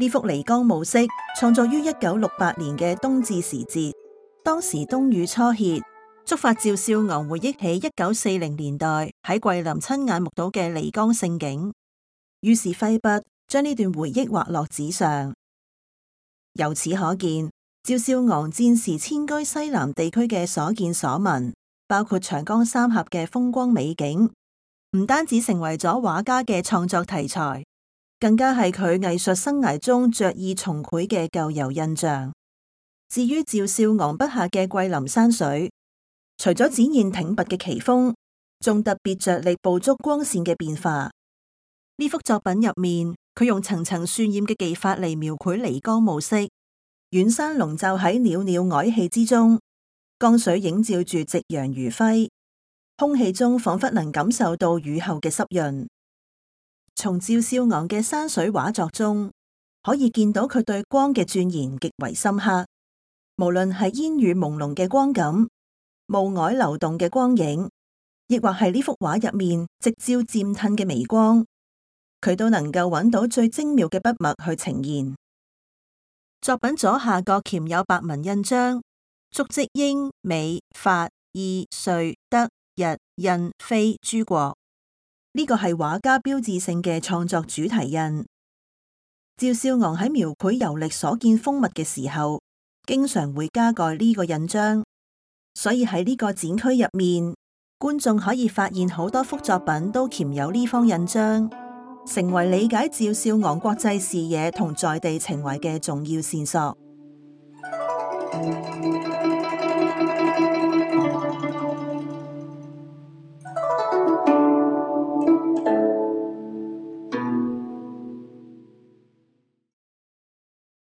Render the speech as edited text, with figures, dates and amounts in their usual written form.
呢幅漓江暮色創作於1968年嘅冬至時節，當時冬雨初歇，觸發趙少昂回憶起1940年代喺桂林親眼目睹嘅漓江盛景，於是揮筆將呢段回憶畫落紙上。由此可見，趙少昂戰時遷居西南地區嘅所見所聞，包括長江三峽嘅風光美景，唔單止成為咗畫家嘅創作題材，更加係佢藝術生涯中着意重繪嘅舊遊印象。至於趙少昂筆下嘅桂林山水，除咗展現挺拔嘅奇峰，仲特別着力捕捉光線嘅變化。呢幅作品入面，佢用層層渲染嘅技法嚟描繪漓江暮色，遠山籠罩喺裊裊靄氣之中，江水映照住夕陽餘暉，空氣中仿佛能感受到雨後嘅濕潤。從趙少昂嘅山水畫作中，可以見到佢對光嘅鑽研極為深刻。無論係煙雨朦朧嘅光感、霧靄流動嘅光影，亦或係呢幅畫入面夕照漸褪嘅微光，佢都能夠揾到最精妙嘅筆墨去呈現。作品左下角鉗有白文印章，足跡英、美、法、意、瑞、德、日、印、非諸國。呢個係畫家標誌性嘅創作主題印。趙少昂喺描繪遊歷所見風物嘅時候，經常會加蓋呢個印章，所以喺呢個展區入面，觀眾可以發現好多幅作品都鉗有呢方印章，成為理解趙少昂國際視野同在地情懷嘅重要線索。